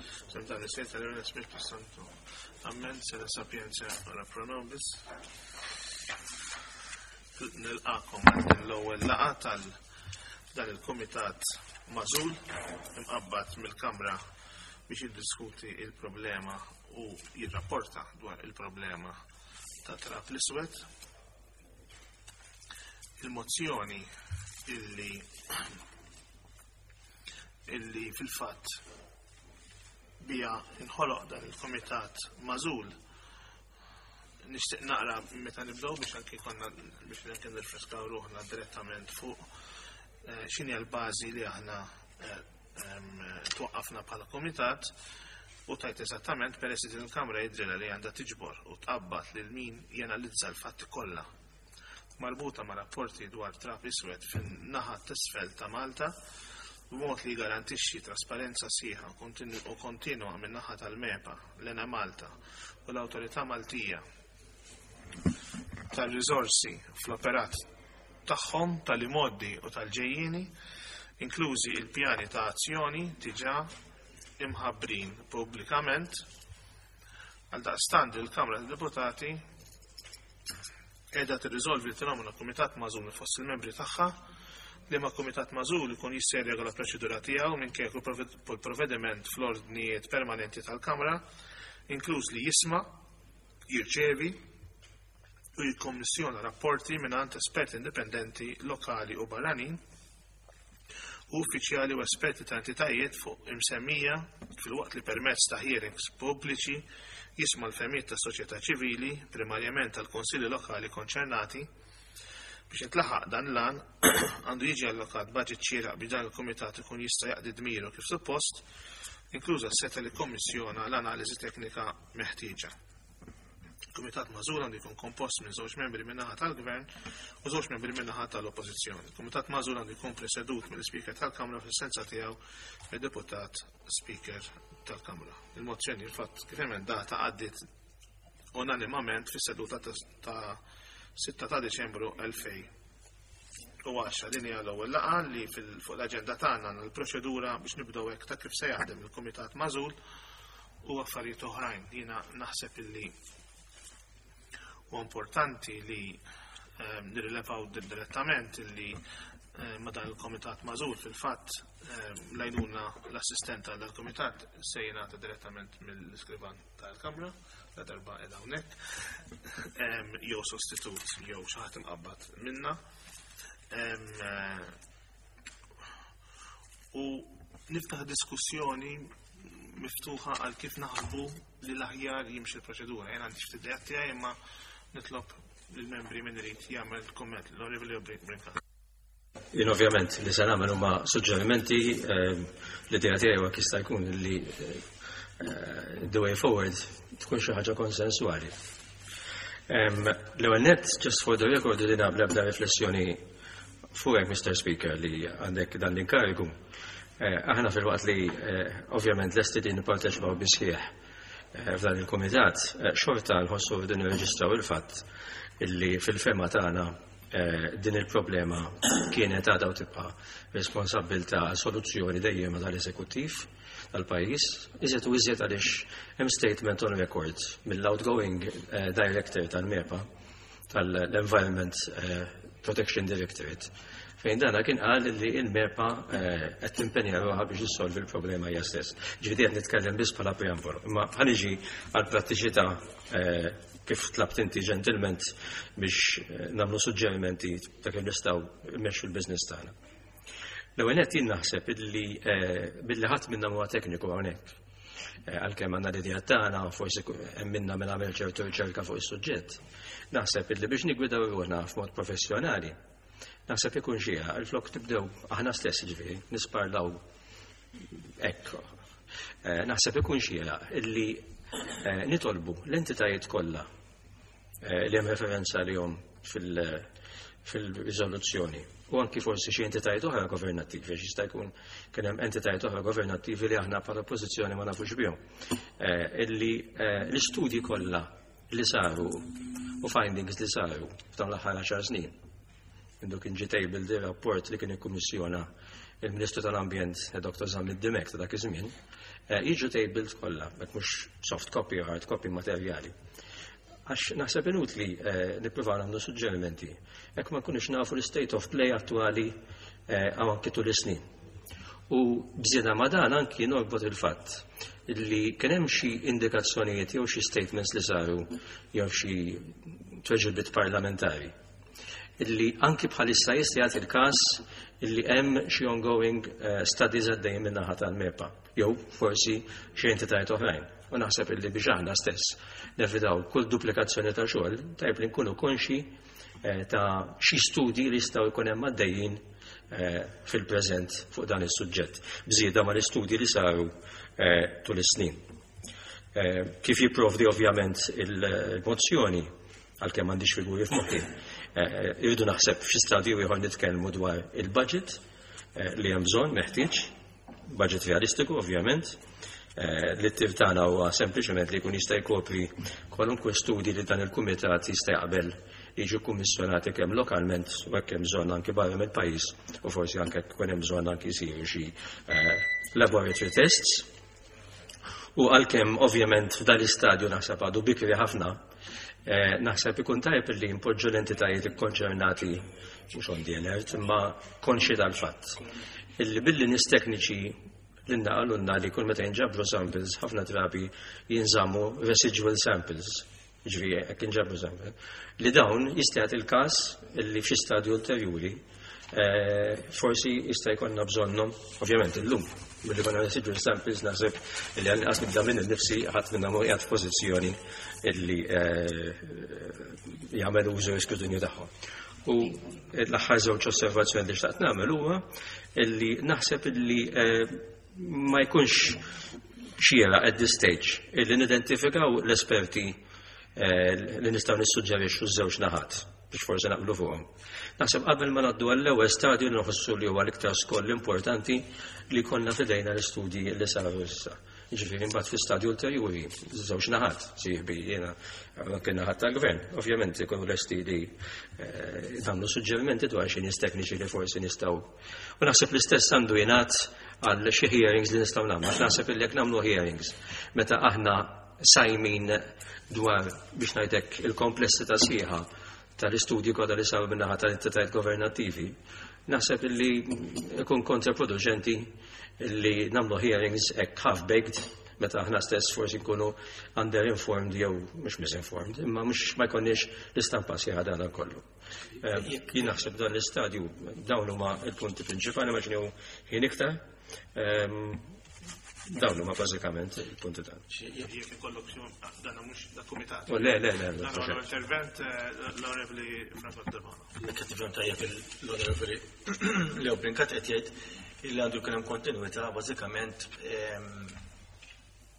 F'isem tal-Missier, tal-Iben u l-Ispirtu Santu. Amen, sede sapientia ora pro nobis. Nilqakom għal din l-ewwel laqgħa tal dan il-kumitat magħżul imqabbad mill-Kamra biex jiddiskuti il-problema u jirrapporta dwar il-problema ta' trap l-iswed. Il-mozzjoni illi illi fil-fatt bija inħoloq dan il-komitat mażul nixtieq naqra meta nibdew biex anki konna biex anke nirfreskaw ruħna direttament fuq eh, x'inhi l-bażi li aħna eh, twaqqafna bħala komitat u tajt eżattament peress li din il-Kamra jidrilha li għandha tiġbor u tqabbad lil min janalizza l-fatti kollha marbuta ma' rapporti dwar trab iswed fin-naħa t'isfel ta' Malta b'mod li jgarantixxi trasparenza sħiħa u kontinwa min-naħa tal-MEPA, l-Enemalta u l-Awtorità Maltija tar-Riżorsi fl-operat tagħhom tal-imgħoddi u tal-ġejjieni, inklużi l-pjani ta' azzjoni diġà imħabbrin pubblikament. Għaldaqstant il-Kamra tad-Deputati qiegħda tirriżolvi li tinnomina kumitat magħżul minn fost il-membri tagħha, liema kumitat magħżul ikun jista' jirregola l-proċedura tiegħu minkejja kull provvediment fl-ordnijiet permanenti tal-Kamra, inkluż li jisma', jirċevi u jikkommissjona rapporti mingħand esperti indipendenti lokali u barranin u uffiċjali u esperti ta' entitajiet fuq imsemmija filwaqt li permezz ta' hearings pubbliċi jisma' l-fehmiet tas-soċjetà ċivili, primarjament tal-kunsilli lokali konċernati. Biex jintlaħaq dan l-għan, għandu jiġi allokat baġit xieraq biex dan il-kumitat ikun jista' jaqdi dmiru kif suppost, inkluża s-setgħa li jikkommissjona l-analiżi teknika meħtieġa. Il-Kumitat Magħżul għandu jkun kompost minn żewġ membri min-naħa tal-Gvern u żewġ membri min-naħa tal-Oppożizzjoni. Il-Kumitat Magħżul għandu jkun presedut mill-Ispeaker tal-Kamra fl-essenza tiegħu mid-Deputat Speaker tal-Kamra. Il-mozzjoni il-fatt kif emendata għaddiet unanimament fis-seduta ta' 6 ta' Deċembru 2010. Din hija l-ewwel laqgħa li fuq l-aġenda tagħna għandna l-proċedura biex nibdew hekk ta' kif se jaħdem il-Kumitat Magħżul u affarijiet oħrajn. Jiena naħseb illi huwa importanti li ehm, nirrilevaw direttament illi ehm, ma dan il-komitat mażul fil-fatt ehm, lajnuna l-assistent għal dal-komitat se jingħata direttament mill-iskrivan tal-Kamra la darba qiegħda hawnhekk jew sostitut jew xi ħadd imqabbad minna. Eh, u niftaħ diskussjoni miftuħa għal kif naħsbu li l-aħjar jimxi l-proċedura. Jien għandi ftit idejat tiegħi imma nitlob lill-membri min irid jagħmel kumment. L-Onorevoli Brincat. Jien ovvjament li se nagħmel huma suġġerimenti eh, l-idea tiegħi huwa jista' jkun li eh, the way forward tkun xi ħaġa konsensuali. L-ewwel nett, just for the record, li nabla bda riflessjoni fuqek, Mr. Speaker, li għandek dan l-inkarigu. Eh, aħna fil-waqt li eh, ovvjament lesti li nipparteċipaw bisħieħ eh, f'dan il-komitat, xorta nħossu din nirreġistraw il-fatt illi fil-fema tagħna din il-problema kienet għadha u tibqa' responsabbiltà soluzzjoni dejjem tal-eżekuttiv tal-pajjiż, iżjed u iżjed għaliex hemm statement on record mill-outgoing director tal-MEPA tal-Environment Protection Directorate fejn dana kien qal li il-MEPA eh, qed timpenja ruħha biex issolvi l-problema hija stess. Ġifieri qed nitkellem biss bħala preambolu. Imma ħaniġi għal prattiċità eh, kif tlabt inti ġentilment biex eh, nagħmlu suġġerimenti ta' kif nistgħu mmexxu l-business tagħna. L-ewwel nett jien naħseb illi billi ħadd minna huwa tekniku hawnhekk. Eh, għalkemm għandna l-idea tagħna forsi hemm minna minn għamel ċertu riċerka fuq is-suġġett. Naħseb illi biex nigwidaw ruħna f'mod professjonali, naħseb ikun xieqa il-flok tibdew aħna stess ġifieri nisparlaw hekk. Eh, naħseb ikun xieqa illi eh, nitolbu l-entitajiet kollha Eh, li hemm referenza għalihom fil-riżoluzzjoni. U anki forsi xi entitajiet oħra governattivi, għax jista' jkun kien hemm entitajiet oħra governattivi li aħna bħala oppożizzjoni ma nafux bihom. Eh, illi eh, l-istudji kollha li saru u findings li saru f'dawn l-aħħar 10 snin. Mindu kien ġie tabled ir-rapport li kien ikkummissjona il-Ministru tal-Ambjent Dr. Zammit Dimech ta' dak iż-żmien, eh, jiġu tabled kollha, hekk mhux soft copy u hard copy materjali. Għax naħseb inutli eh, nippruvaw nagħmlu suġġerimenti jekk ma nkunux nafu l-state of play attwali eh, għaw anki tul is-snin. U bżieda ma dan anki norbot il-fatt li kien hemm xi indikazzjonijiet jew xi statements li saru jew xi tweġibiet parlamentari illi anki bħalissa jista' jagħti il-każ illi hemm xi ongoing eh, studies għaddejjin min-naħa tal-MEPA jew forsi xi entitajiet oħrajn. U naħseb illi biex aħna stess nevitaw kull duplikazzjoni ta' xogħol, tajb li nkunu konxi eh, ta' xi studji li jistgħu jkun hemm għaddejjin eh, fil-preżent fuq dan is-suġġett, bżieda mal istudji li saru tul is-snin. Kif jipprovdi ovvjament il-mozzjoni, għalkemm m'għandix figuri f'moħħi, eh, irridu naħseb f'xi stadju ieħor nitkellmu dwar il-budget eh, li hemm bżonn meħtieġ, budget realistiku ovvjament, eh, li t-tir tagħna huwa sempliċement li jkun jista' jkopri kwalunkwe studji li dan il-kumitat jista' jaqbel li jiġu kummissjonati kemm lokalment u hekk hemm bżonn anki barra mill-pajjiż u forsi anke jkun hemm bżonn anki jsiru xi laboratory tests. U għalkemm ovvjament f'dan l-istadju naħseb għadu bikri ħafna, eh, naħseb ikun tajjeb li npoġġu l-entitajiet ikkonċernati mhux on the alert, imma konxi tal-fatt. Illi billi nies tekniċi li naqalunna li kull meta jinġabru samples ħafna drabi jinżammu residual samples, ġifieri hekk inġabru samples, li dawn jista' jagħti il-każ illi f'xi stadju ulterjuri eh, forsi jista' jkollna bżonnhom, ovvjament illum, billi konna residual samples naħseb li għal inqas nibda minn nifsi ħadd minna mhu qiegħed f'pożizzjoni illi eh, jagħmel użu l-iskrutinju tagħhom. U l-aħħar żewġ osservazzjoni li xtaqt nagħmel huwa illi naħseb illi eh, ma jkunx xieraq at this stage illi nidentifikaw l-esperti eh, li nistgħu nissuġġerixxu ż-żewġ naħat biex forsi naqblu fuqhom. Naħseb qabel ma ngħaddu għall-ewwel stadju li nħossu li huwa l-iktar skoll importanti li konna fidejna l-istudji li saru issa. Ġifieri mbagħad fi stadju ulterjuri, żewġ naħat, sieħbi jiena anke naħat tal-gvern, ovvjament ikunu lesti li eh, nagħmlu suġġerimenti dwar xi nies tekniċi li forsi nistgħu. U naħseb l-istess għandu jingħad għal xi hearings li nistgħu nagħmlu. Għax naħseb illi jekk nagħmlu hearings meta aħna sajmin dwar biex ngħidlek il-komplessità sħiħa tal-istudji kollha li saru min-naħa tal-entitajiet governattivi, naħseb illi ikun kontraproduċenti li nagħmlu hearings hekk half-baked meta aħna stess forsi nkunu under-informed jew mhux misinformed, imma mhux ma jkollniex l-istampa sħiħa dan kollu. Eh, jien naħseb dan l-istadju dawn huma l-punti prinċipali ma ġnew ħin iktar. Ehm, dawn huma bażikament il-punti tagħna. Jekk ikollok dan mhux da kumitat. Oh, le, le, le. Intervent eh, l-Onorevoli Franco Debona. Jekk qed tifhem tajjeb l-Onorevoli Leo Brincat qed jgħid li għandu jkun hemm kontinwità bażikament ehm,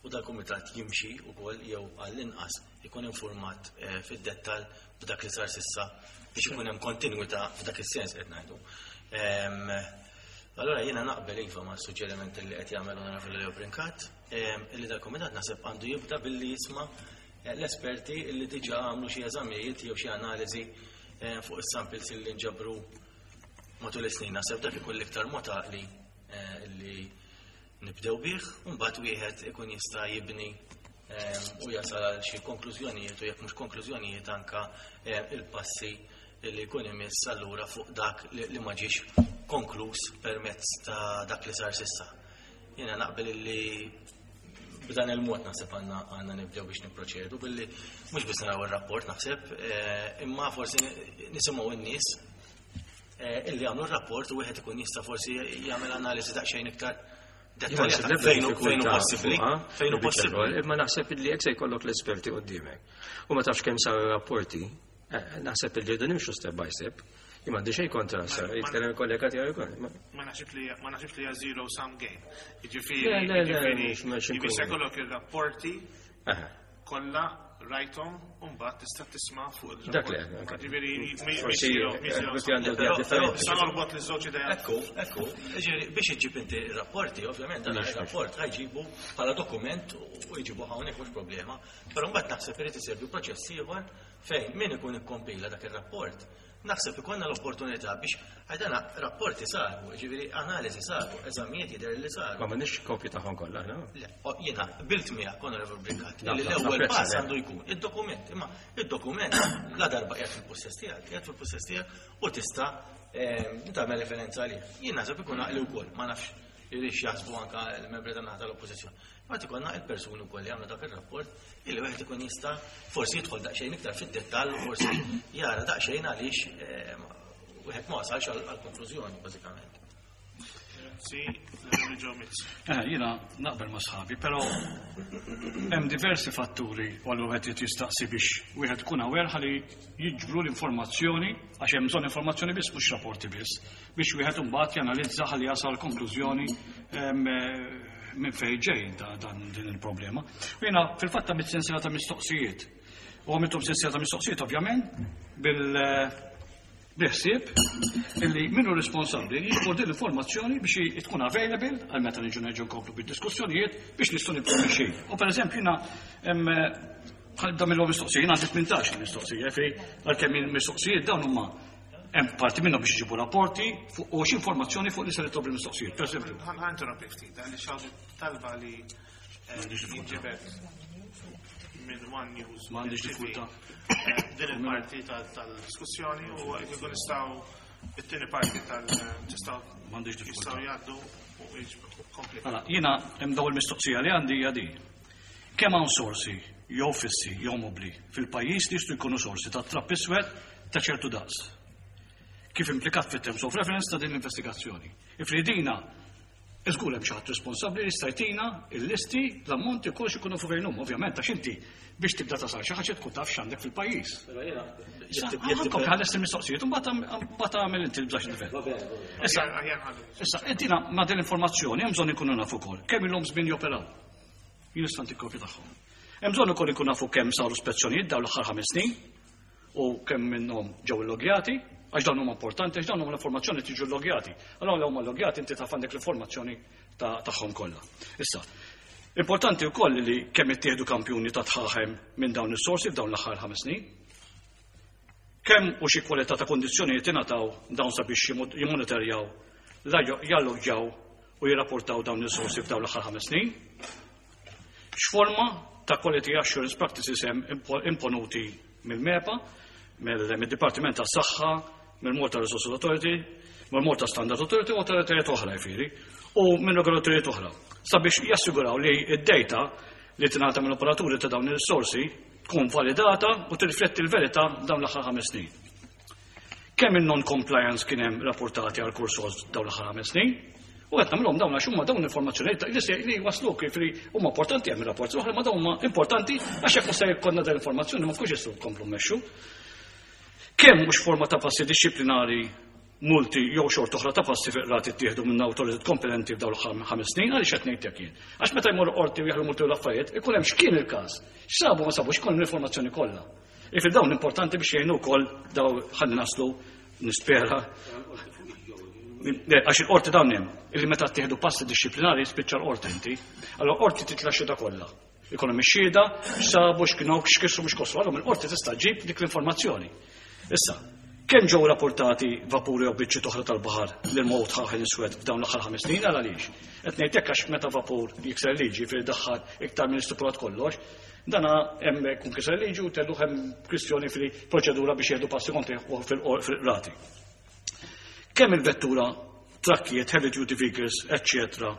u dal-kumitat jimxi wkoll jew għall-inqas ikun informat eh, fid-dettall b'dak li sar sissa biex ikun hemm kontinwità f'dak is-sens qed ngħidu. Ehm, allora jiena naqbel iva ma' suġġeriment li qed jagħmel Onorevoli Leo Brincat, ehm, illi dal-kumitat naħseb għandu jibda billi jisma' eh, l-esperti li diġà għamlu xi eżamijiet jew xi analiżi eh, fuq is-samples li nġabru matul is-snin. Naħseb dak ikun l-iktar mod għaqli li nibdew bih, u mbagħad wieħed ikun jista' jibni ehm, u jasal għal xi konklużjonijiet u jekk mhux konklużjonijiet anka ehm, il-passi li jkun imiss allura fuq dak li ma ġiex konkluż permezz ta' dak li sar sissa. Jiena naqbel li b'dan il-mod naħseb għandna għandna nibdew biex nipproċedu billi mhux biss naraw ir-rapport naħseb, eh, imma forsi nisimgħu n-nies Eh, illi għamlu r-rapport u wieħed ikun jista' forsi jagħmel analiżi daqsxejn iktar dettaljata fejn hu possibbli. Fejn hu possibbli. Imma naħseb illi jekk se jkollok l-esperti quddiemek u ma tafx kemm saru rapporti, eh, naħseb illi rridu nimxu step by step. Imma għandi xejn kontra, sa jitkellem il-kollega tiegħu ukoll. Ma naħsibx li ma naħsibx li hija zero sum game. Jiġifieri, jiġifieri se jkollok ir-rapporti kollha rajthom u mbagħad tista' tisma' fuq il Dak le. Ġifieri għandu idea differenti. Sa norbot li żewġ idea. Ekku, ekku. Ġifieri biex iġġib inti rapporti, ovvjament dan ir-rapport ħajġibu bħala dokument u jġibu hawnhekk mhux problema. Però mbagħad naħseb irid isegwi proċess ieħor fejn min ikun ikkompila dak ir-rapport. Naħseb ikollna l-opportunità biex għajdana rapporti saru, ġifieri analiżi saru, eżamijiet jidher li saru. Ma m'għandniex kopji tagħhom kollha, no? Le, jiena bilt miegħek Onorevole Brincat, li l-ewwel pass għandu jkun id-dokument, imma id-dokument la darba qiegħed fil-possess tiegħek, qiegħed fil-possess tiegħek u tista' tagħmel referenza għalih. Jien naħseb ikun għaqli wkoll, ma nafx irix jaħsbu anka l-membri tan-naħa tal-oppożizzjoni. Mbagħad ikollna il-persuni wkoll li għamlu dak ir-rapport illi wieħed ikun jista' forsi jidħol daqsxejn iktar fid-dettall u forsi jara daqsxejn għaliex eh, wieħed ma wasalx għall-konklużjoni bażikament. Grazzi, l-Onorevoli Joe Mizzi. Eh, jiena naqbel ma' sħabi, però hemm diversi fatturi u għallu wieħed irid jistaqsi biex wieħed ikun aware ħalli jiġbru l-informazzjoni għax hemm bżonn informazzjoni biss mhux rapporti biss biex wieħed imbagħad janalizza ħalli jasal konklużjoni eh, minn fejn ġej dan din il-problema. U jiena fil-fatt għamilt sensiela ta' mistoqsijiet. U għamilthom sensiela ta' mistoqsijiet ovvjament bil biħsieb illi minnu responsabbli jiġbor din l-informazzjoni biex tkun available għal meta niġu nerġgħu nkomplu bid-diskussjonijiet biex nistgħu nibqgħu mixjin. U pereżempju jiena bħal mill mistoqsija, jiena għandi 18 mistoqsija, fej għalkemm il-mistoqsijiet dawn huma Hemm parti minnhom biex iġibu rapporti fuq u xi informazzjoni fuq li se nitlob il-mistoqsijiet. Per eżempju. Ħa interrompi ftit, għaliex hawn talba li eh, jinġibed minn One News. M'għandix diffikultà. Eh, din il-parti tal-diskussjoni u jkun nistgħu it-tieni parti tal-tistgħu M'għandix diffikultà. Jistgħu jgħaddu u jiġbu kompli. Mela, jiena hemm dawn il-mistoqsija li għandi hija din. Kemm hawn sorsi jew fissi jew mobbli fil-pajjiż li jistgħu jkunu sorsi ta' trab iswed ta' ċertu daqs? Kif implikat fit-terms of reference ta' din l-investigazzjoni. Ifridina, iżgur hemm xi ħadd responsabbli li jista' jtina l-listi, l-ammonti u kollox ikunu fuq fejn huma, ovvjament għax inti biex tibda tasal xi ħaġa tkun taf x'għandek fil-pajjiż. Ħankom ħares il-mistoqsijiet u mbagħad tagħmel inti l-bżax nifhem. Issa, issa, intina ma' din l-informazzjoni hemm bżonn ikunu nafu wkoll kemm ilhom żmien joperaw. Jien nista' ntik kopja tagħhom. Hemm bżonn ukoll inkun nafu kemm saru spezzjonijiet dawn l-aħħar ħames snin u kemm minnhom ġew illogjati, għax dawn huma importanti, għax dawn huma l-informazzjoni tiġu llogjati. Allora huma llogjati inti taf għandek l-informazzjoni tagħhom kollha. Issa, importanti wkoll li kemm ittieħdu kampjuni ta' tħaħem minn dawn is-sorsi f'dawn l-aħħar ħames snin. Kemm u xi kwalità ta' kondizzjonijiet ingħataw dawn sabiex jimmonitorjaw, jalloġġjaw u jirrapportaw dawn is-sorsi f'dawn l-aħħar ħames snin? X'forma ta' quality assurance practices hemm imponuti mill-MEPA, mid-Dipartiment tas-Saħħa, mill-Malta Resources Authority, mill-Malta Standard Authority u awtoritajiet oħra jfieri, u minn regolatorjiet oħra, sabiex jassiguraw li d-data li tingħata mill-operaturi ta' dawn is-sorsi tkun validata u tirrifletti l-verità dawn l-aħħar ħames snin. Kemm il-non-compliance kien hemm rapportati għal kull sors dawn l-aħħar ħames snin? U qed nagħmilhom dawn għax huma dawn l-informazzjonijiet li se li waslu kif li huma importanti hemm ir-rapporti l-oħra ma dawn huma importanti għax jekk se jkollna dan l-informazzjoni ma nkunx jistgħu nkomplu mmexxu. Kemm mhux forma ta' passi dixxiplinari multi jew xorta oħra ta' passi fi qrati ttieħdu minn awtoritajiet kompetenti f'dawn l-aħħar ħames snin, għaliex qed ngħid hekk jien? Għax meta jmorru qorti u jaħlu multi u l-affarijiet, ikun hemm x'kien il-każ, x'sabu ma sabux, ikun l-informazzjoni kollha. Ifir dawn importanti biex jgħinu wkoll daw ħalli naslu nispera. Għax il-qorti dawn hemm, illi meta ttieħdu passi dixxiplinari jispiċċa l-qorti inti. Allora qorti titla' xhieda kollha. Ikun hemm ix-xhieda, x'sabu, x'kienu, x'kisru, mhux kosru. Allura mill-qorti tista' ġġib dik l-informazzjoni. Issa, kemm ġew rapportati vapuri jew biċċiet oħra tal-baħar lil mowt ħaħel iswed f'dawn l-aħħar ħames snin għal għaliex? Qed ngħid hekk għax meta vapur jikser liġi fil daħħal iktar minn stipulat kollox, dana hemm kun kiser liġi u tellu hemm kwistjoni fil-proċedura biex jieħdu passi kontrih fil-qrati. Kemm il-vettura, trakkijiet, heavy duty vehicles, eccetera,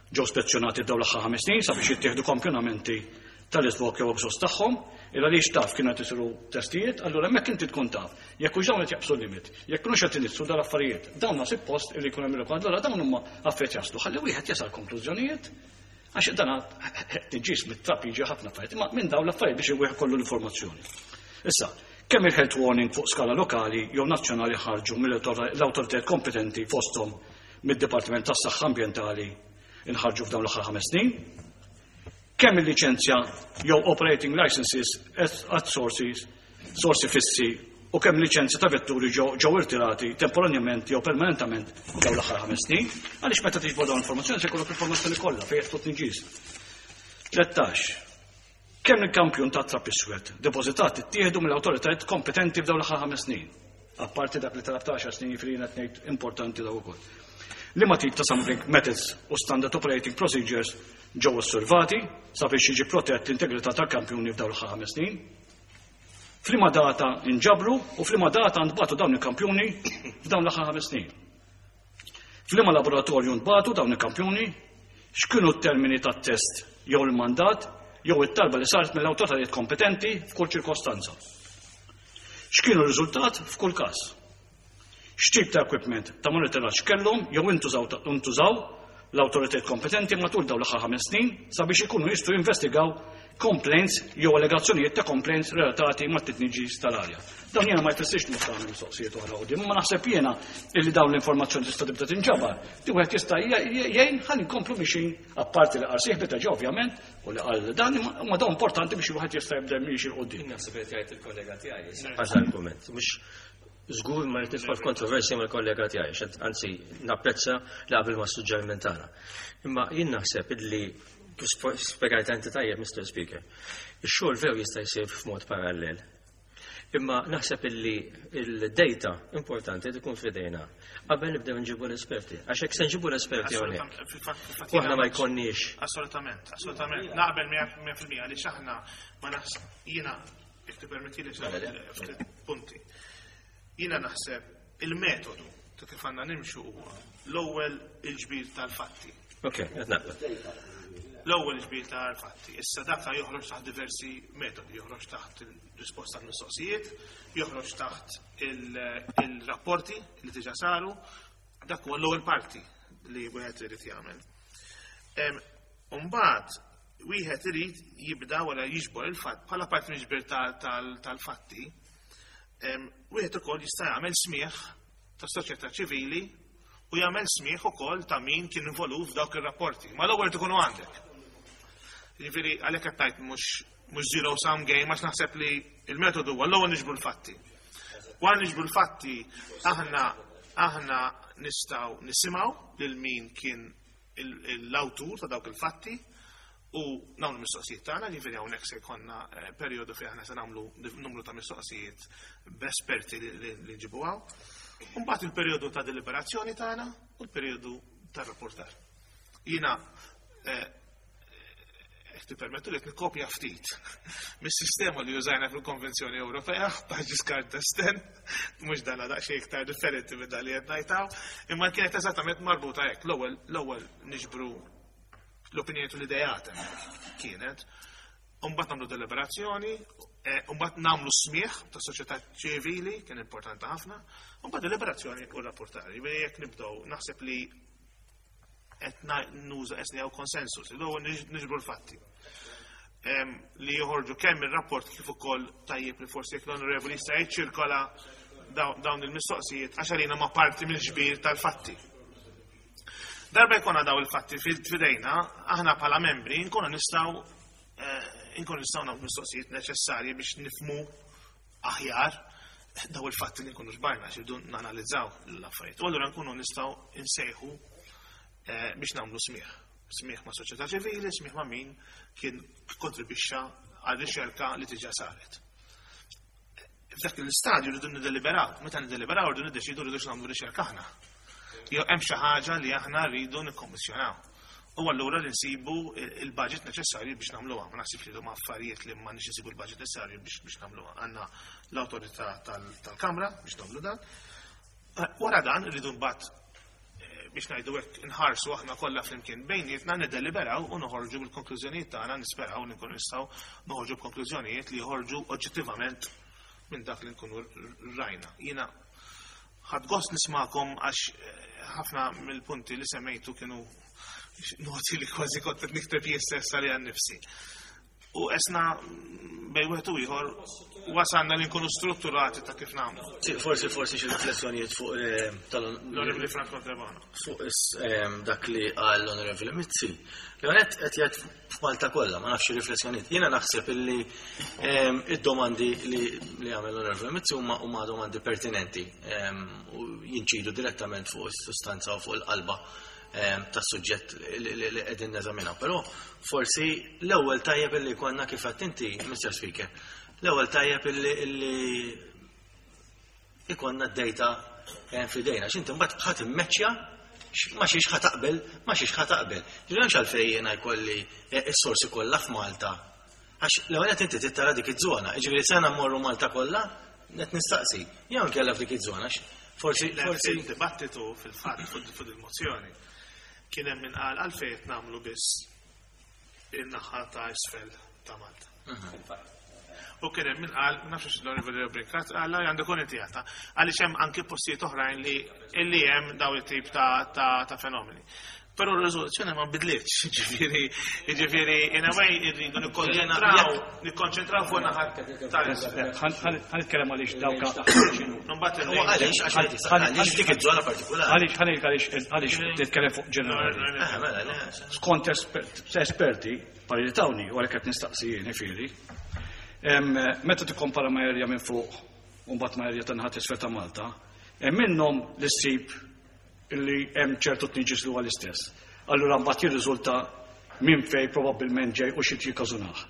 ġew spezzjonati f'dawn l-aħħar ħames snin sabiex jittieħdu kampjonamenti tal-iżvok jew exhaust tagħhom, il għaliex taf kienu qed isiru testijiet, allura hemmhekk inti tkun taf jekk hux dawn qed jaqbsu l-limit, jekk kinux qed iniġġsu dal-affarijiet. Dawn ma suppost illi jkun hemm rekord, allura dawn huma affarijiet jaslu. Ħalli wieħed jasal konklużjonijiet għax dan tniġġis mit-trab jiġi ħafna affarijiet, imma minn dawn l-affarijiet biex wieħed kollu l-informazzjoni. Issa, kemm il-health warning fuq skala lokali jew nazzjonali ħarġu mill-awtoritajiet kompetenti fosthom mid-Dipartiment tas-Saħħa Ambjentali inħarġu f'dawn l-aħħar ħames snin, kemm il-liċenzja jew operating licenses at sources, sorsi fissi u kemm liċenzja ta' vetturi ġew irtirati temporanjament jew permanentament dawn l-aħħar ħames snin, għaliex meta tiġbor dawn l-informazzjoni se jkollok l-informazzjoni kollha fejn qed tniġġis. 13. Kemm il-kampjun ta' trab iswed depożitat ittieħdu mill-awtoritajiet kompetenti f'dawn l-aħħar ħames snin? Apparti dak li talab ta' 10 snin, jiġifieri jiena qed ngħid importanti daw ukoll. Liema tip ta' sampling methods u standard operating procedures ġew osservati sabiex jiġi protett l-integrità tal-kampjuni f'dawn l-aħħar 5 snin? F'liema data nġabru u f'liema data ntbagħtu dawn il-kampjuni f'dawn l-aħħar 5 snin? F'liema laboratorju ntbagħtu dawn il-kampjuni? X'kienu t-termini tat-test jew il-mandat jew it-talba li saret mill-awtoritajiet kompetenti f'kull ċirkostanza? X'kienu r-riżultat f'kull każ? X'tip ta' equipment ta' monitoraġġ kellhom jew intużaw l-awtoritajiet kompetenti matul dawn l-aħħar 5 snin sabiex ikunu jistgħu jinvestigaw complaints jew allegazzjonijiet ta' complaints relatati mat-tniġġis tal-arja? Dawn jiena ma jfissirx li mhux tagħmel mistoqsijiet oħra quddiem, imma naħseb jiena illi dawn l-informazzjoni tista' tibda tinġabar. Li wieħed jista' jgħin ħalli nkomplu mixin apparti li qal sieħbi ta' ovvjament u li qal dan imma dawn importanti biex wieħed jista' jibda miexi 'l quddiem. Naħseb qed jgħid il-kollega tiegħi. Għax argument, mhux żgur ma rrid nidħol f'kontroversja mal-kollega tiegħi, anzi napprezza li qabel ma' suġġeriment tagħna. Imma jien naħseb illi kif spjegajt inti tajjeb, Mr. Speaker, ix-xogħol veru jista' jsir f'mod parallel. Imma naħseb illi il-data importanti tkun f'idejna qabel nibdew nġibu l-esperti. Għax hekk se nġibu l-esperti hawnhekk. U aħna ma jkollniex. Assolutament, assolutament. Naqbel 100% għaliex aħna ma naħseb jiena jekk tippermetti li ftit punti. Jiena naħseb il-metodu ta' kif għandna nimxu huwa l-ewwel il-ġbir tal-fatti. Ok, qed naqbel. L-ewwel ġbir tal-fatti. Issa dak joħroġ taħt diversi metodi, joħroġ taħt il-risposta tal-mistoqsijiet, joħroġ taħt il-rapporti li diġà saru, dak huwa l-ewwel parti li wieħed irid jagħmel. Mbagħad wieħed irid jibda wara jiġbor il-fatt bħala parti mill-ġbir tal-fatti, wieħed ukoll jista' jagħmel smigħ tas-soċjetà ċivili u jagħmel smigħ ukoll ta' min kien involut f'dawk ir-rapporti. Ma l-ewwel tkunu għandek. Jiġifieri għalhekk qed ngħid mhux zero sum game għax naħseb li il-metodu huwa l-ewwel niġbru l-fatti. Wara niġbru l-fatti aħna nistgħu nisimgħu lil min kien l-awtur ta' dawk il-fatti u nagħmlu mistoqsijiet tagħna, jiġifieri hawnhekk se jkollna perjodu fejn aħna se nagħmlu numru ta' mistoqsijiet b'esperti li nġibu hawn. Mbagħad il-perjodu ta' deliberazzjoni tagħna u l-perjodu ta' rapportar. Jiena jekk tippermettu li nikkopja ftit mis-sistema li użajna fil-Konvenzjoni Ewropea ta' Giscard d'Estaing, mhux dan daqsxejn iktar differenti minn dan li qed ngħidaw, imma kienet eżattament marbuta hekk. L-ewwel niġbru l-opinjoni u l-idejat kienet, u mbagħad nagħmlu deliberazzjoni, u mbagħad nagħmlu smigħ ta' soċjetà ċivili, kien importanti ħafna, u mbagħad deliberazzjoni u rapportari. Jiġifieri jekk nibdew naħseb li qed nuża qed hawn konsensus, l-ewwel niġbru l-fatti. Li joħorġu kemm ir-rapport kif ukoll tajjeb li forsi jekk l-onorevoli jista' jiċċirkola dawn il-mistoqsijiet għax għalina ma parti mill-ġbir tal-fatti. Darba jkollna daw il-fatti fidejna, aħna bħala membri nkunu nistgħu nagħmlu mistoqsijiet neċessarji biex nifmu aħjar daw il-fatti li nkunu ġbarna, għax irridu nanalizzaw l-affarijiet. U allura nkunu nistgħu nsejħu biex nagħmlu smigħ. Smigħ ma' soċjetà ċivili, smigħ ma' min kien kontribwixxa għal riċerka li diġà saret. F'dak l-istadju rridu niddeliberaw, meta niddeliberaw rridu niddeċidu rridu nagħmlu riċerka aħna. Jew hemm xi ħaġa li aħna rridu nikkommissjonaw. U allura li nsibu il-budget neċessarju biex nagħmluha. Ma naħsibx li huma affarijiet li ma nix nsibu l-budget neċessarju biex nagħmluha. Għandna l-awtorità tal-Kamra biex nagħmlu dan. Wara dan rridu mbagħad biex ngħidu hekk inħarsu aħna kollha flimkien bejnietna niddeliberaw u noħorġu bil-konklużjonijiet tagħna, nisperaw li nkunu nistgħu noħorġu b'konklużjonijiet li joħorġu oġġettivament minn dak li nkunu rajna. Jiena ħadt gost nismakom għax ħafna mill-punti li semmejtu kienu noti li kważi kont qed nikteb jien stess għalija nnifsi. U esna bej wieħed u ieħor wasalna li nkunu strutturati ta' kif nagħmlu. Sì, forsi xi riflessjonijiet fuq tal- L-Onorevoli Franco Trebano. Fuq dak li qal l-Onorevoli Mizzi. L-għonet qed jgħid f'Malta kollha, ma nafx riflessjonijiet. Jiena naħseb illi id-domandi li għamel l-Onorevoli Mizzi huma domandi pertinenti u jinċidu direttament fuq is-sustanza u fuq il-qalba tas-suġġett li qegħdin neżaminaw. Però forsi l-ewwel tajjeb illi konna kif għedt inti, Mr. Speaker, l-ewwel tajjeb illi ikollna d-data f'idejna. X'inti mbagħad ħadd immeċċja ma xiex ħa taqbel, ma xiex ħa taqbel. Ġifieri m'hemmx għalfejn jiena jkolli s-sorsi kollha f'Malta. Għax l-ewwel qed inti trid dik iż-żona, jiġifieri se mmorru Malta kollha, qed nistaqsi. Jew inkella f'dik iż-żona forsi forsi dibattitu fil-fatt fuq il-mozzjoni kien hemm min qal għalfejn qed nagħmlu biss in-naħa ta' isfel ta' Malta. U kien hemm min qal, ma nafx l-Onorevoli Brincat, qal għandu kun inti għata. Għaliex hemm anki postijiet oħrajn li illi hemm daw it-tip ta' fenomeni. Però r-riżoluzzjoni ma bidlitx, ġifieri, in a way irridu nikkonċentraw, nikkonċentraw fuq naħa tal-isfel. Ħa nitkellem għaliex dawka. Għaliex, għaliex dik iż-żona partikolari. Għaliex, għaliex, għaliex titkellem fuq ġenerali. Mela, Skont esperti, pariri tawni, u għalhekk qed nistaqsi jien ifieri. Meta tikkompara ma' erja minn fuq u mbagħad ma' erja ta' naħa t'isfel ta' Malta, hemm minnhom li ssib illi hemm ċertu tniġis li huwa l-istess. Allura mbagħad jirriżulta minn fej probabbilment ġej u xi jikkażunah.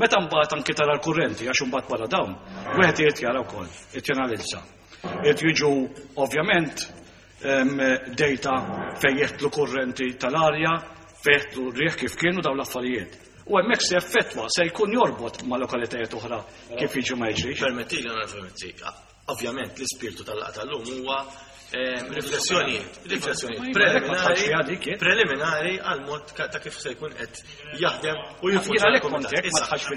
Meta mbagħad anki tara l-kurrenti għax imbagħad wara dawn, wieħed irid jara wkoll, irid janalizza. Irid jiġu ovvjament data fejn jeħtlu kurrenti tal-arja, fejn jeħtlu rieħ kif kienu dawn l-affarijiet. U hemmhekk se effettwa, se jkun jorbot ma' lokalitajiet oħra kif jiġu ma jiġrix. Permettili, onorevoli ovvjament l-ispirtu tal-laqgħa tal-lum huwa riflessjonijiet, riflessjonijiet preliminari, preliminari għal mod ta' kif se jkun qed jaħdem u jiffunzjona l-kumitat.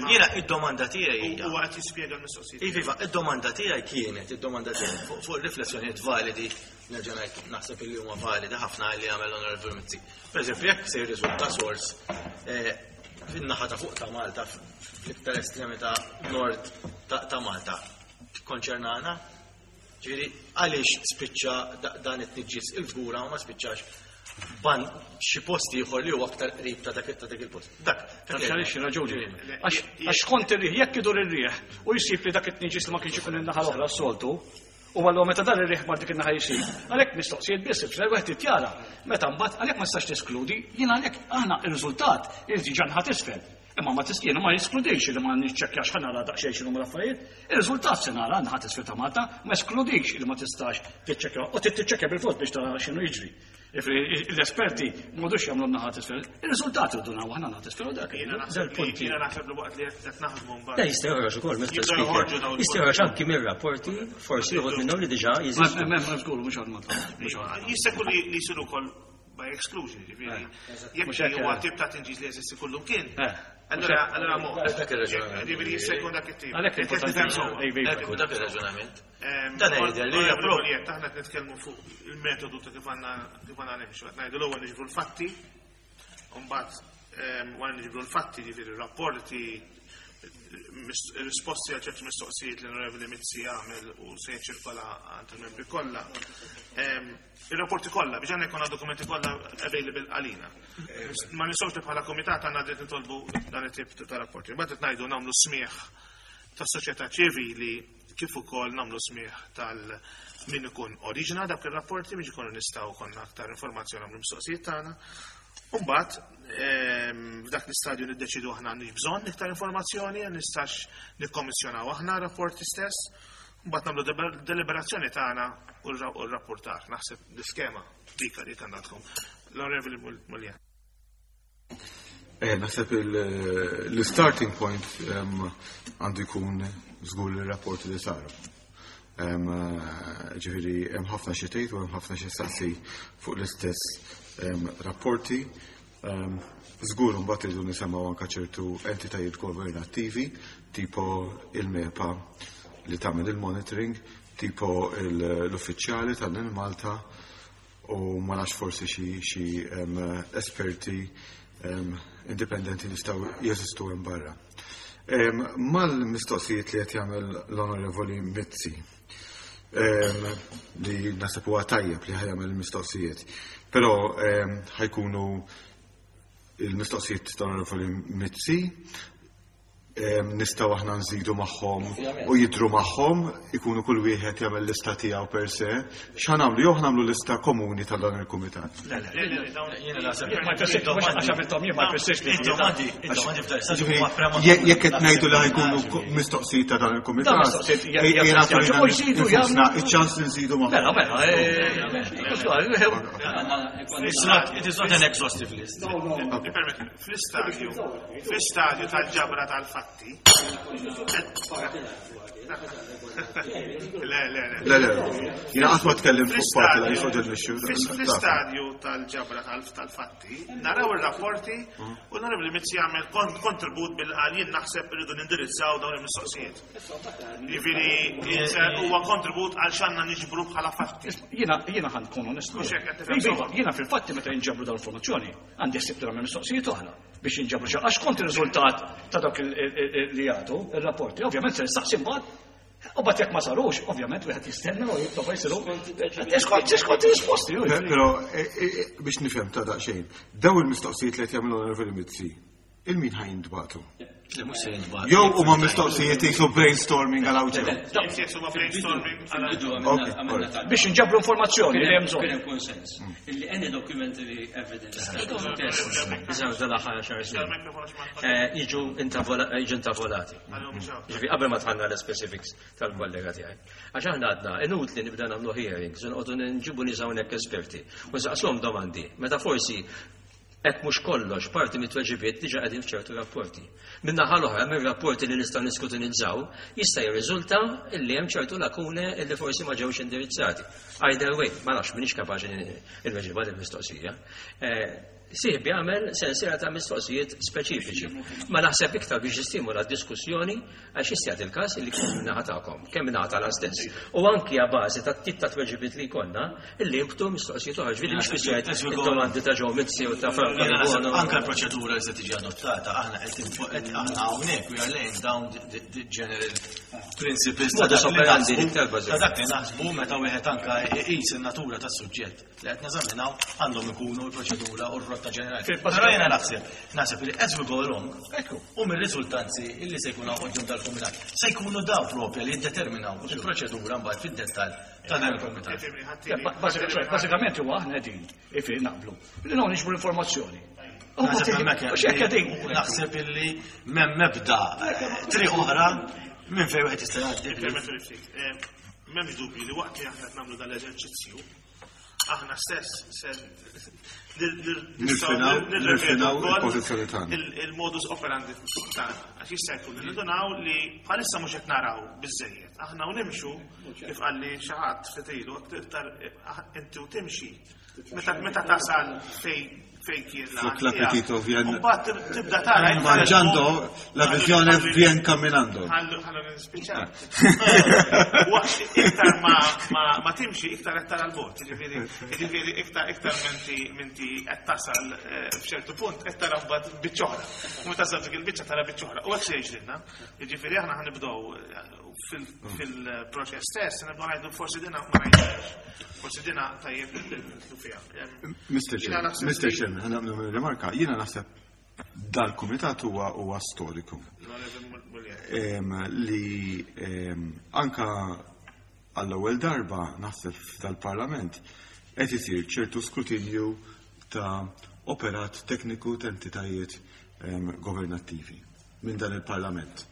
Jiena id-domanda tiegħi hija. Huwa qed jispjega l-mistoqsijiet. Iva, id-domanda tiegħi kienet, id-domanda tiegħi fuq riflessjonijiet validi, nerġa' ngħid naħseb illi huma validi ħafna li għamel Onorevoli Mizzi. Per eżempju, jekk se jirriżulta sors fin-naħa ta' fuq ta' Malta, fl-iktar estremità nord ta' Malta, tikkonċernana? Ġifieri għaliex spiċċa dan it-tniġġis il-Fgura u ma spiċċax ban xi post ieħor li huwa aktar qrib ta' dak il-post. Dak. Għaliex raġuni. Għax kont ir-riħ, jekk idur ir-riħ u jsib li dak it-tniġġis li ma kienx ikun in-naħa l-oħra s-soltu, u għallu meta dan ir-riħ mar dik in-naħa jsib, għalhekk mistoqsijiet biss ifisser wieħed jara. Meta mbagħad għalhekk ma tistax teskludi, jien għalhekk aħna ir-riżultat irid jiġi naħa t'isfel. Imma ma jiena ma jeskludix li ma niċċekkjax ħa nara daqsxejn x'inhuma l-affarijiet. Ir-riżultat se nara naħa t'isfel ta' Malta, ma eskludix li ma tistax tiċċekkja u tiċċekkja bil-fors biex tara x'inhu jiġri. L-esperti m'għadux jagħmlu naħa t'isfel. Ir-riżultat irridu naraw aħna naħa t'isfel u dak. Dal-punt. Jiena naħseb li waqt li qed naħdmu mbagħad. Le jista' joħroġ ukoll, Mr. Speaker. Jista' joħroġ anki mir-rapporti, forsi uħud minnhom li diġà jeżistu. M'hemm żgur mhux għal Malta. Jista' jkun li jsiru wkoll by exclusion, ġifieri. Jekk huwa tip ta' tinġis li jeżisti kullum kien. Allora, allora mo. Dak ir-raġunament. Ġifieri jista' jkun dak it-tip. Għalhekk importanti. Ekku dak ir-raġunament. Dan jidher li hija propju. Aħna qed nitkellmu fuq il-metodu ta' kif għandna kif għandna nimxu. Qed ngħidu l-ewwel niġbru l-fatti, u mbagħad wara niġbru l-fatti, ġifieri rapporti, risposti għal ċerti mistoqsijiet li l-Onorevoli Mizzi għamel u se jiċċirkola għand il-membri kollha. Ir-rapporti kollha biex għandna jkollna dokumenti kollha available għalina. Ma nistgħux li bħala komitat għandna dritt nitolbu dan it-tip ta' rapporti. Mbagħad qed ngħidu nagħmlu smigħ tas-soċjetà ċivili kif ukoll nagħmlu smigħ tal min ikun oriġina dak ir-rapporti biex ikunu nistgħu konna aktar informazzjoni nagħmlu mistoqsijiet tagħna. Umbagħad f'dak l-istadju niddeċidu aħna għandix bżonn iktar informazzjoni, nistax nikkommissjonaw aħna rapporti stess. Mbagħad nagħmlu deliberazzjoni tagħna u r-rapportar. Naħseb l-iskema dik li għandha tkun. L-Onorevoli Mulja. Naħseb l-starting point għandu jkun żgur il-rapporti li saru. Ġifieri hemm ħafna xi tgħid u hemm ħafna xi saqsi fuq l-istess rapporti. Żgur mbagħad irridu nisimgħu anke ċertu entitajiet governattivi, tipo il-MEPA li tagħmel il-monitoring, tipo l-uffiċjali tal-Malta u ma nafx forsi xi esperti indipendenti li jistgħu jeżistu hemm barra. Mal-mistoqsijiet li qed jagħmel l-Onorevoli Mizzi, li naħseb huwa tajjeb li ħa jagħmel il-mistoqsijiet, però ħa jkunu il-mistoqsijiet tal-Onorevoli Mizzi. Nistgħu aħna nżidu magħhom u jidhru magħhom, ikunu kull wieħed jagħmel lista tiegħu per se. X'ħa nagħmlu? Jew nagħmlu lista komuni ta' dan il-kumitat. Le, le, jiena naħseb ma jfissirx għax għamilthom jien ma jfissirx li domandi, id-domandi f'dan l-istadju huma prematur. Jekk qed ngħidu li ħa jkunu mistoqsijiet ta' dan il-kumitat, jagħtuna infusna iċ-ċans li nżidu magħhom. Mela, mela, It is not an exhaustive list. Fl-istadju, fl-istadju tal-ġabra tal-fatti. Le, le, le. Le, le, jiena qatt ma tkellimt fuq parti la fuq din l-issue. Fl-istadju tal-ġabra tal-fatti, naraw ir-rapporti u naraw li Mizzi jagħmel kontribut bil-qal jien naħseb irridu nindirizzaw dawn il-mistoqsijiet. Jiġifieri huwa kontribut għal x'għandna niġbru bħala fatti. Jiena jiena ħa nkun onest. Mhux hekk qed tifhem sewwa. Jiena fil-fatti meta jinġabru dawn l-informazzjoni, għandi ħsieb li nagħmel mistoqsijiet oħra biex jinġabru xi għax kont ir-riżultat ta' dak li jagħtu ir-rapporti, ovvjament se nistaqsi mbagħad. U mbagħad jekk ma sarux, ovvjament wieħed jistenna u jitlob jsiru. Skont skont ir-risposti. Però biex nifhem ta' daqsxejn, daw il-mistoqsijiet li qed jagħmlu l-Onorevoli Mizzi, il-min ħa jintbagħtu? Le, mhux se jintbagħtu. Jew huma mistoqsijiet jisu brainstorming għal hawn ġew. Yes, huma brainstorming għal Fil-bidu Ok, għamilna alright. talba. Biex inġabru informazzjoni li hemm Kien bżonn. hemm konsens illi any documentary evidence test li saru dal-aħħar għaxar snin jiġu jiġu intavolati. Ġifieri qabel ma dħalna l-specifics tal-kollega tiegħi. Għax aħna għadna inutli nibda nagħmlu hearings u noqogħdu nġibu nies hawnhekk esperti u nsaqsuhom domandi meta forsi hekk mhux kollox parti mit-tweġibiet diġà qegħdin f'ċertu rapporti. Min-naħa l-oħra mir-rapporti li nistgħu niskrutinizzaw jista' jirriżulta illi hemm ċertu lakune illi forsi ma ġewx indirizzati. Either way, ma nafx m'iniex kapaċi nweġibha din il-mistoqsija. Sieħbi għamel sensiela ta' mistoqsijiet speċifiċi. Ma naħseb iktar biex jistimula d-diskussjoni għax jista' jagħti il-każ illi kemm min-naħa tagħkom, kemm min-naħa tagħna stess. U anki a bażi ta' tip ta' tweġibiet li jkollna illi jinbtu mistoqsijiet oħra. Ġifieri mhux biss id-domandi ta' Joe Mizzi u ta' Franco Jiena naħseb Debono. anke l-proċedura li se tiġi adottata, aħna qed qed aħna hawnhekk we are laying down the general principles ta' Modus dak li operandi naħsbu- iktar bażiku. ta' dak li naħsbu meta wieħed anke iqis in-natura tas-suġġett li qed neżaminaw għandhom ikunu l-proċedura u r-rotta ġenerali. Però jiena naħseb li as we go along, u mir-riżultanzi illi se jkunu quddiem dal-kumitat, se jkunu daw propja li jiddeterminaw il-proċedura mbagħad fid-dettall ta' dan il-kumitat. Bażikament huwa aħna qegħdin ifi naqblu. Li non niġbru informazzjoni. Naħseb hemmhekk U x'hekk qegħdin. Naħseb illi m'hemm mebda triq oħra minn fejn wieħed jista' jgħaddi. Permettu li ftit. M'hemmx dubju li waqt li aħna qed nagħmlu dal-eżerċizzju, aħna stess se Nirfinaw il-pożizzjoni tagħna. Il-modus operandi tagħna. Għax jista' jkun li nindunaw li bħalissa mhux qed naraw biżejjed. Aħna u nimxu kif qalli xi ħadd fitilu iktar inti u timxi. Meta tasal fej fej kien Flok l'appetito vien- Mbagħad tibda tara iktar Mangiando la visione vien camminando. Ħallu ħallu nispiċċa. Waqt iktar ma timxi iktar qed tara l-bot, jiġifieri iktar iktar minti qed tasal f'ċertu punt qed tara mbagħad biċċa oħra. U meta tasal dik il-biċċa tara biċċa oħra. U hekk se jiġrilna. Jiġifieri aħna ħanibdew fil-proċess stess nibdew ngħidu forsi dina ma rajniex. Forsi dina tajjeb li nidħlu fiha. Mr. Jiena Chairman, naħseb Mr. li- Chairman, ħa nagħmlu rimarka, jiena naħseb dal-kumitat huwa storiku. L-Onorevoli Mullier. Li anka għall-ewwel darba naħseb f'dal-Parlament qed isir ċertu skrutinju ta' operat tekniku ta' entitajiet governattivi minn dan il-Parlament.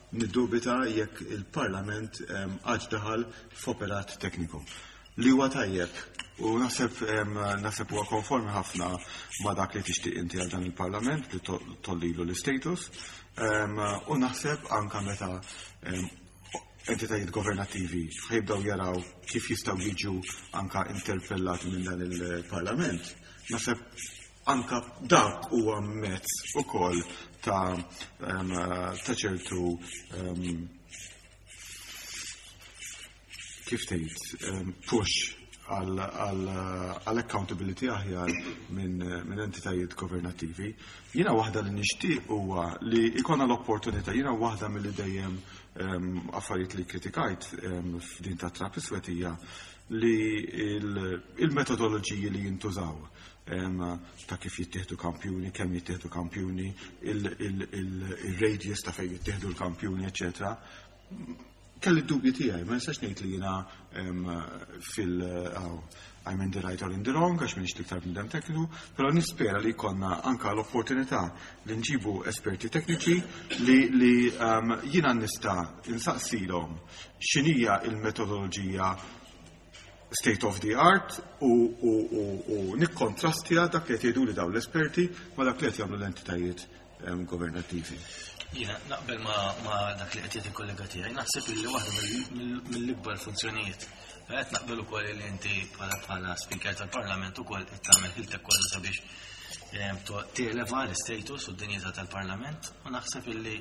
Niddubita jekk il-Parlament għax daħal f'operat tekniku. Li huwa tajjeb u naħseb huwa konformi ħafna ma' dak li tixtieq inti għal dan il-Parlament li tollilu l-status. U naħseb anka meta entitajiet governattivi ħajbdew jaraw kif jistgħu jiġu anka interpellati minn dan il-Parlament. Naħseb anka dak huwa mezz ukoll ta' ċertu kif tgħid push għal accountability aħjar minn entitajiet governattivi. Jiena waħda li nixtieq huwa li jkollna l-opportunità, jiena waħda milli dejjem affarijiet li kritikajt f'din ta' trap iswed hija li il-metodoloġiji li jintużaw ta' kif jittieħdu kampjuni, kemm jittieħdu kampjuni, il-radius ta' fejn jittieħdu l-kampjuni, eccetera. Kelli d-dubji tiegħi, ma nistax ngħid li jiena fil I'm in the right or in the wrong, għax m'iniex l-iktar bniedem tekniku, però nispera li jkollna anka l-opportunità li nġibu esperti tekniċi li jiena nista' insaqsilhom x'inhija il-metodoloġija state of the art u nikkontrastja dak li qed jgħidu li dawn l-esperti ma dak li qed jagħmlu l-entitajiet governattivi. Jiena naqbel ma dak li qed jgħid il-kollega tiegħi, naħseb li waħda mill-ikbar funzjonijiet. Qed naqbel ukoll li inti bħala speaker tal-Parlament ukoll qed tagħmel ħiltek kollha sabiex televa l-status u d-dinjità tal-Parlament u naħseb illi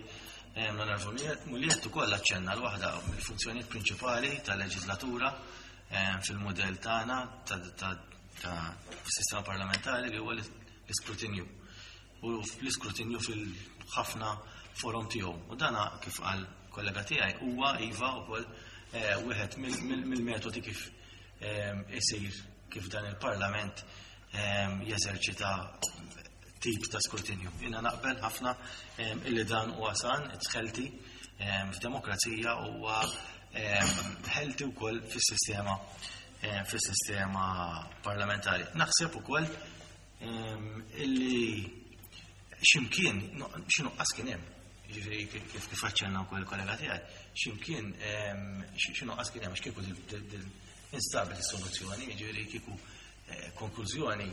l-Onorevoli Mugliett ukoll aċċenna l waħda mill-funzjonijiet prinċipali tal-leġislatura fil-mudell tagħna ta' sistema parlamentari li huwa l-iskrutinju. U l-iskrutinju fil-ħafna forom tiegħu. U dana kif qal kollega tiegħi huwa iva wkoll wieħed mill-metodi kif isir kif dan il-Parlament jeżerċita tip ta' skrutinju. Jiena naqbel ħafna illi dan huwa san, it's healthy, f'demokrazija huwa healthy wkoll fis-sistema parlamentari. Naħseb ukoll illi ximkien, xi nuqqas kien hemm, jiġifieri kif aċċenna wkoll il-kollega tiegħi, ximkien xi nuqqas kien hemm għax kieku instabet is-soluzzjoni, jiġifieri kieku konklużjoni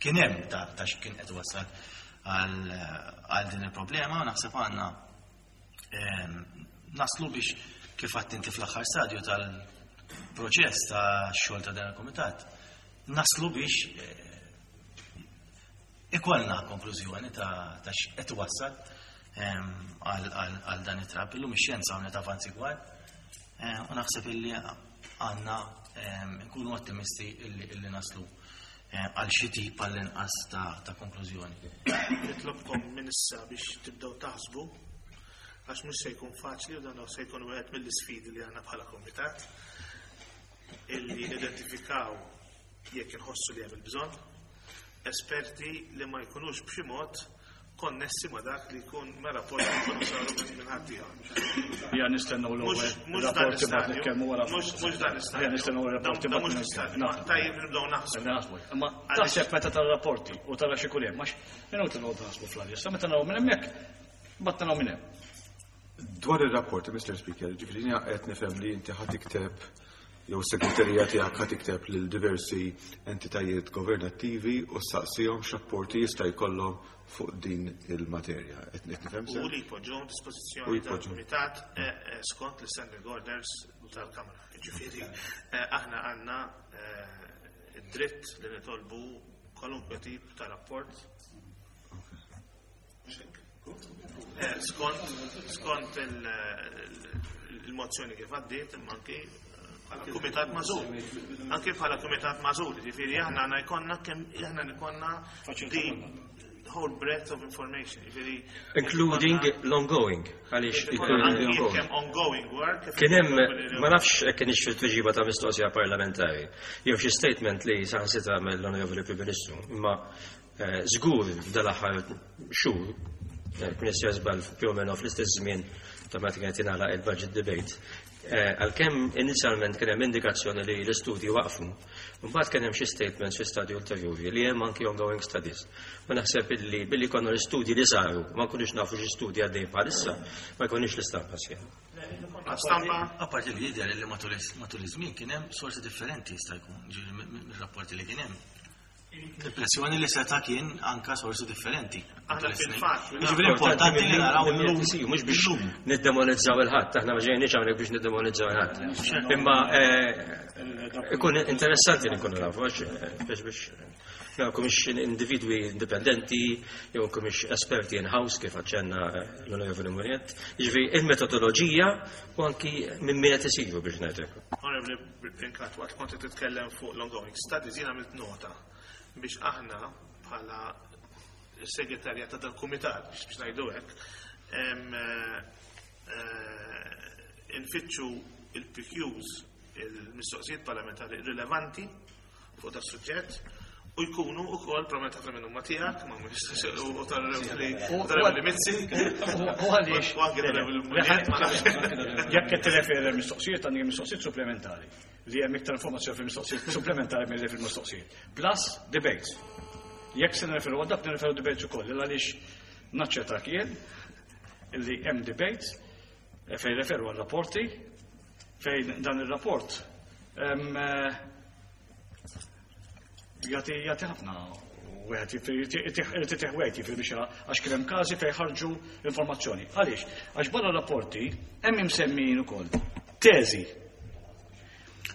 kien hemm ta' x'kien qed wassal għal din il-problema, naħseb għandna naslu biex kif għadt inti fl-aħħar stadju tal-proċess ta' xogħol ta' dan il-kumitat, naslu biex ikollna konklużjoni ta' x'qed wassal għal dan it-trab. Illum ix-xjenza għamlet avanzi kbar u naħseb illi għandna nkunu ottimisti illi naslu għal xi tip għall-inqas ta' konklużjoni. Nitlobkom minn issa biex tibdew taħsbu għax mhux se jkun faċli u dan se jkun wieħed mill-isfidi li għandna bħala komitat illi identifikaw jekk inħossu li hemm il-bżonn esperti li ma jkunux b'xi mod konnessi ma dak li jkun ma rapport li jkunu saru minn ħaddieħor. Ja nistennew l-ewwel Mhux dan rapporti bad l-istadju, nitkellmu wara. mhux dan l-istadju. Ja nistennew ir-rapporti Dan bad mhux nitkellmu. l-istadju, ma tajjeb nibdew naħsbu. Naħsbu. Imma taħseb meta tara rapporti u tara xi kull hemm, għax inutli noqgħod naħsbu fl-arja. Sa meta naraw minn hemmhekk, bad naraw minn hemm. Dwar ir-rapporti, Mr. Speaker, ġifieri jiena qed nifhem li inti ħa tikteb jew segreterija tiegħek ħa tikteb lil diversi entitajiet governattivi u saqsihom x'rapporti jista' jkollhom fuq din il-materja. Qed nifhem U sew? li jpoġġuhom U dispożizzjoni jpoġġuhom. tal-Kumitat skont l-standing orders tal-Kamra. Ġifieri aħna għandna id-dritt li nitolbu kwalunkwe tip ta' rapport. Skont il-mozzjoni kif għaddiet, imma anki bħala kumitat magħżul. Anki bħala kumitat magħżul, ġifieri aħna għandna jkollna kemm aħna jkollna the whole breadth of information, ġifieri Including l-ongoing, għaliex Anki l-ongoing. kemm ongoing work. kif Kien hemm, ukoll ma nafx hekk kienx fil-tweġiba ta' mistoqsija parlamentari, jew xi statement li saħansitra mill-Onorevoli Prim Ministru, imma żgur f'dal-aħħar xhur, kien issir żball più o meno fl-istess żmien ta' meta kienet jingħalaq il-budget debate. Għalkemm inizjalment kien hemm indikazzjoni li l-istudji waqfu, mbagħad kien hemm xi statements fi stadju ulterjuri li hemm anki ongoing studies. Ma naħseb illi billi konna l-istudji li saru, ma nkunux nafu xi studji għaddejn bħalissa, ma jkunux l-istampa sħiħa. Stampa. Apparti li jidher li matul iż-żmien kien hemm sorsi differenti jista' jkun, ġifieri mir-rapporti li kien hemm. L-impressjoni li seta' kien anka sorsi differenti. Aħna fil-fatt, Jiġifieri importanti li naraw illum. Mhux biex niddemonizzaw il-ħadd, aħna ma ġejniex hawnhekk biex niddemonizzaw il-ħadd. Imma ikun interessanti li nkunu nafu, għax biex naraw mhix individwi indipendenti, jew mhix esperti in-house kif aċċenna l-Onorevoli Mugliett. Jiġifieri il-metodoloġija u anki minn min qed isiru biex ngħidlek. Onorevoli Brincat, waqt kont qed titkellem fuq l-ongoing studies, jiena għamilt nota biex aħna bħala segretarja ta' dal-kumitat, biex ngħidu hekk, infittxu il-PQs il-mistoqsijiet parlamentari rilevanti fuq da suġġett u jkunu wkoll probabbilment ħafna minnhom ma tiegħek, ma mhux u tal-Revli Mizzi. U għaliex. U anke tal-Revli Munjet, ma nafx. Jekk qed tirreferi għal mistoqsijiet għandi mistoqsijiet supplementari li hemm iktar informazzjoni fil-mistoqsijiet supplementari milli fil-mistoqsijiet. Plus debates. Jekk se nirreferu għal dak nirreferu debates ukoll għaliex naċċertak jien illi hemm debates fejn referu għal rapporti fejn dan ir-rapport jagħti jagħti ħafna wieħed irid itih wieħed jiġifieri biex jara għax kien hemm każi fejn ħarġu informazzjoni. Għaliex? Għax barra rapporti hemm imsemmijin ukoll teżi.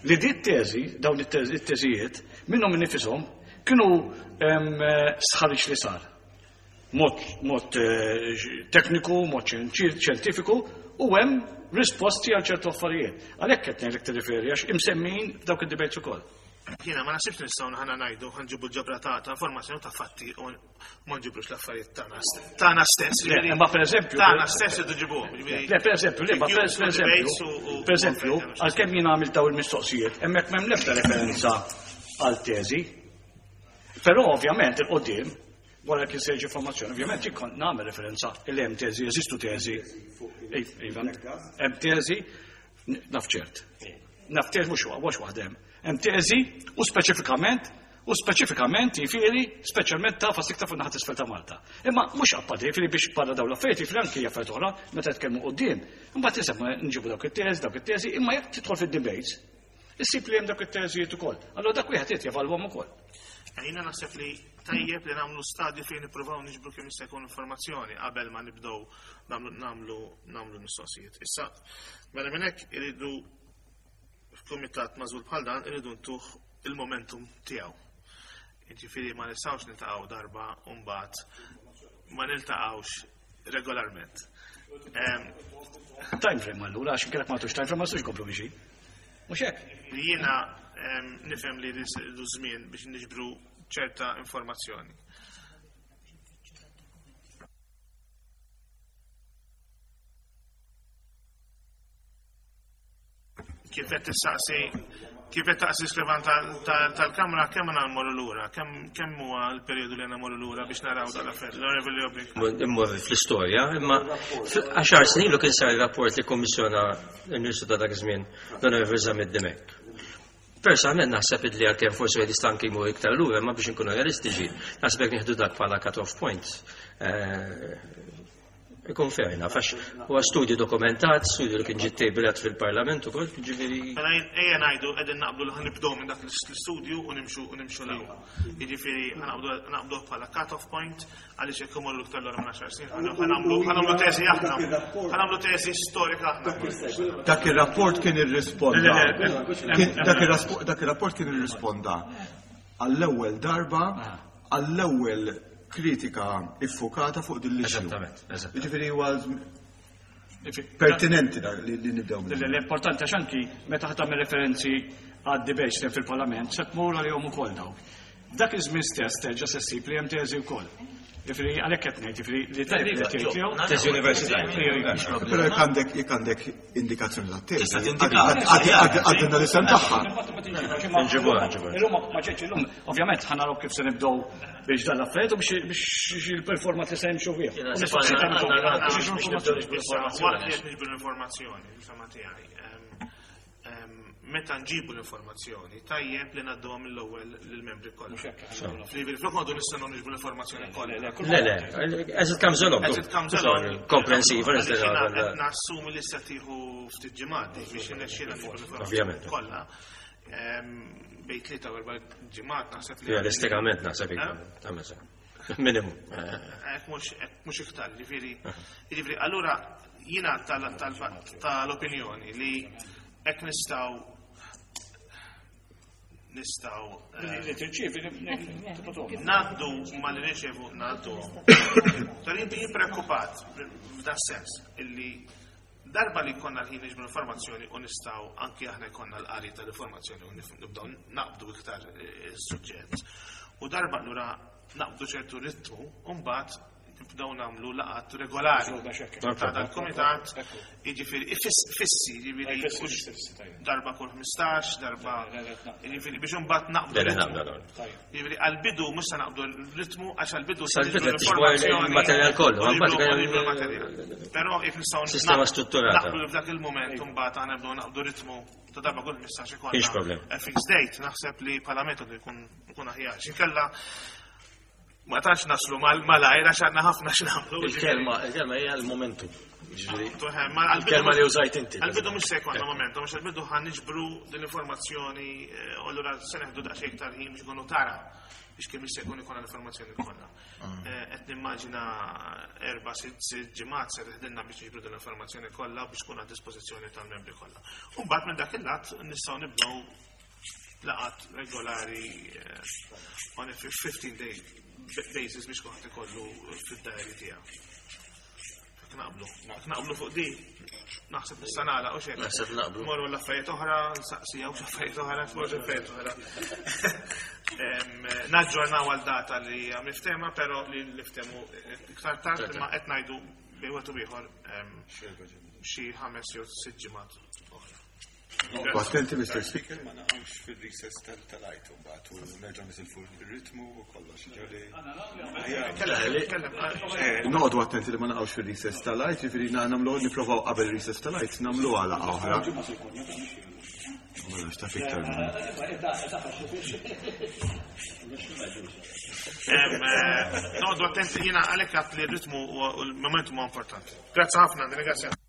Li di teżi, dawn it-teżijiet, minnhom innifishom kienu sħarriġ li sar. Mod, mod tekniku, mod xjentifiku, u hemm risposti għal ċertu affarijiet. Għalhekk qed ngħidlek tirriferi għax imsemmijin f'dawk id-debates ukoll. Jiena ma naħsibx nistgħu ħana ngħidu ħa nġibu ġabra ta' informazzjoni ta' fatti u ma nġibrux l-affarijiet tagħna stess. Le, imma pereżempju Tagħna stess idu ġibuhom. jiġifieri- Le, per eżempju, le, ma per Reviews u eżempju, debates u- per eżempju, għalkemm jien għamilt daw il-mistoqsijiet, hemmhekk m'hemm l-ebda referenza għal teżi. Però ovvjament il-qudiem wara kien se jiġi informazzjoni, ovvjament jien kont nagħmel referenza li hemm teżi, jeżistu teżi. Iva, hemm teżi, naf ċert. Naf teżi mhux mhux waħda hemm. Hemm teżi u speċifikament u speċifikament jifieri speċjalment ta' fost iktar fuq naħa t'isfel ta' Malta. Imma mhux apparti jifieri biex barra dawn l-affarijiet jifieri anki affarijiet oħra meta tkellmu quddiem. Imbagħad isemma nġibu dawk it-teżi, dawk it-teżi, imma jekk tidħol fid-debates, issib li hemm dawk it-teżijiet ukoll. Allura dak wieħed irid jevalwhom ukoll. Jiena naħseb li tajjeb li nagħmlu stadju fejn nippruvaw niġbru kemm jista' jkun informazzjoni qabel ma nibdew nagħmlu mistoqsijiet. Issa, mela minn hekk iridu f'kumitat magħżul bħal dan iridu ntuh il-momentum tiegħu. Jiġifieri ma nistgħux niltaqgħu darba u mbagħad ma niltaqgħux regolarment. Time frame allura, għax inkellek ma tux time frame ma nistgħux nkomplu mixi. Mhux hekk? Jiena nifhem li rridu żmien biex niġbru ċerta informazzjoni. Kif qed tistaqsi, kif qed taqsi skrivan tal-Kamra, kemm għandna mmorru lura? Kemm huwa l-perjodu li għandna mmorru lura biex naraw dal-affarijiet? L-Onorevoli Obrik. Immorru fl-istorja, imma 10 snin ilu kien sar rapport li kummissjona l-Ministru ta' dak iż-żmien, l-Onorevoli Zammit Dimech. Personalment naħseb li għalkemm forsi wieħed jista' anke jmur iktar lura, imma biex inkunu realistiċi, naħseb jekk nieħdu dak bħala cut-off point, ikun fair enough, għax huwa studju dokumentat, studju li kien ġie tablet fil-Parlament ukoll, ġifieri. Mela ejja ngħidu qegħdin naqblu li ħanibdew minn dak l-istudju u nimxu u nimxu l hawn. Jiġifieri ħanaqbdu bħala cut-off point għaliex jekk imorru iktar lura minn 10 snin, ħanagħmlu teżi aħna. Ħanagħmlu teżi storika aħna. Dak ir-rapport kien irrisponda. Le, le, le, Kien, dak dak ir-rapport kien irrisponda għall-ewwel darba, għall-ewwel kritika iffokata fuq din l-issue. Eżattament, eżattament. Jiġifieri huwa pertinenti dak li nibdew minnu. L-importanti għax anki meta ħa tagħmel referenzi għad debates li hemm fil-Parlament se tmur għalihom ukoll dawk. F'dak iż-żmien stess terġa' se ssib li hemm teżi wkoll. Jiġifieri għalhekk qed ngħid, jiġifieri li tajjeb li tgħid jew Teżi universitarja. Però jekk għandek indikazzjoni ta' teżi, Tista' tindika. għaddilna l-isem tagħha. Nġibuha, nġibuha. Illum ma ġietx illum, ovvjament ħa naraw kif se nibdew biex dan l-affarijiet u biex il-performat li se jimxu fih. Jiena U se mistoqsijiet għandna għandhom. għandna biex nibdew niġbru Issa, waqt li informazzjoni. qed niġbru l-informazzjoni, il-fema tiegħi, meta nġibu l-informazzjoni, tajjeb li ngħadduha mill-ewwel lill-membri kollha. Jiġifieri flok noqogħdu nistennew niġbru l-informazzjoni kollha. Le, le, as it comes along. As it comes along. Komprensiva, Għaliex jiena nistgħu qed nassumi li se tieħu ftit ġimgħat biex irnexxielna niġbru l-informazzjoni Ovvjament. kollha. Bejn 3 u 4 ġimgħat naħseb li Realistikament naħseb Eh? iktar. Tagħmel sew. Minimum. Hekk mhux iktar, jiġifieri allura jiena tal-opinjoni li hekk nistgħu Li tirċievi ngħaddu ma li nirċevu ngħaddu. Tal-inti jien preokkupat f'dan sens illi darba li jkollna l-ħin niġbru informazzjoni u nistgħu anki aħna jkollna l-qari tal-informazzjoni u nibdew naqbdu iktar is-suġġett. U darba allura naqbdu ċertu ritmu u mbagħad Nibdew nagħmlu laqgħat regolari ta' dal-kumitat, jiġifieri fissi, jiġifieri darba kull 15, darba jiġifieri biex imbagħad naqbdu. Jiġifieri għall-bidu mhux se naqbdu r-ritmu għax għall-bidu se il-materjal kollu, il-materjal. Però jekk nistgħu sistema strutturata. Naqbdu f'dak il-mument imbagħad aħna nibdew naqbdu ritmu ta' darba kull 15 ikollna. Fixed date naħseb li bħala metodu jkun aħjar. X'inkella Ma tantx naslu malajr għax għandna ħafna x'nagħmlu. Il-kelma, il-kelma hija l-momentum. Il-kelma li użajt inti. Għal-bidu mhux se jkollna momentum, għax għal-bidu ħan niġbru din l-informazzjoni eh, u allura se neħdu daqsxejn iktar ħin biex ikunu tara biex kemm jista' jkun ikollna l-informazzjoni kollha. Ah. Eh, qed nimmaġina erba' sitt ġimgħat se teħdilna biex niġbru din l-informazzjoni kollha biex tkun għad dispożizzjoni tal-membri kollha. U mbagħad minn dak il-lat nistgħu nibdew laqat regolari eh, on a 15 day basis biex kulħadd ikollu fid-diary tiegħu. Naqblu, naqblu fuq di, naħseb nista' nagħlaq u xejn. Naħseb naqblu. Morru l-affarijiet oħra, nsaqsi hawn affarijiet oħra, forsi affarijiet oħra. Naġġornaw għal data li hija miftema, però li niftemu iktar tard imma qed ngħidu bejn wieħed u ieħor xi ħames jew sitt ġimgħat oħra. U attenti Mr. Speaker ma naqgħux fil-recess tal-għajt mbagħad u nerġgħu nisilfu r-ritmu u kollox. Eh, noqogħdu attenti li ma naqgħux fil-recess tal-għajt, jiġifieri nagħmlu nipprovaw qabel recess tal-għajt nagħmlu għala oħra. Ma nafx taf iktar eh, Noqogħdu attenti jiena għalhekk għat li r-ritmu u l-momentum huwa importanti. Grazzi ħafna, ringrazzja.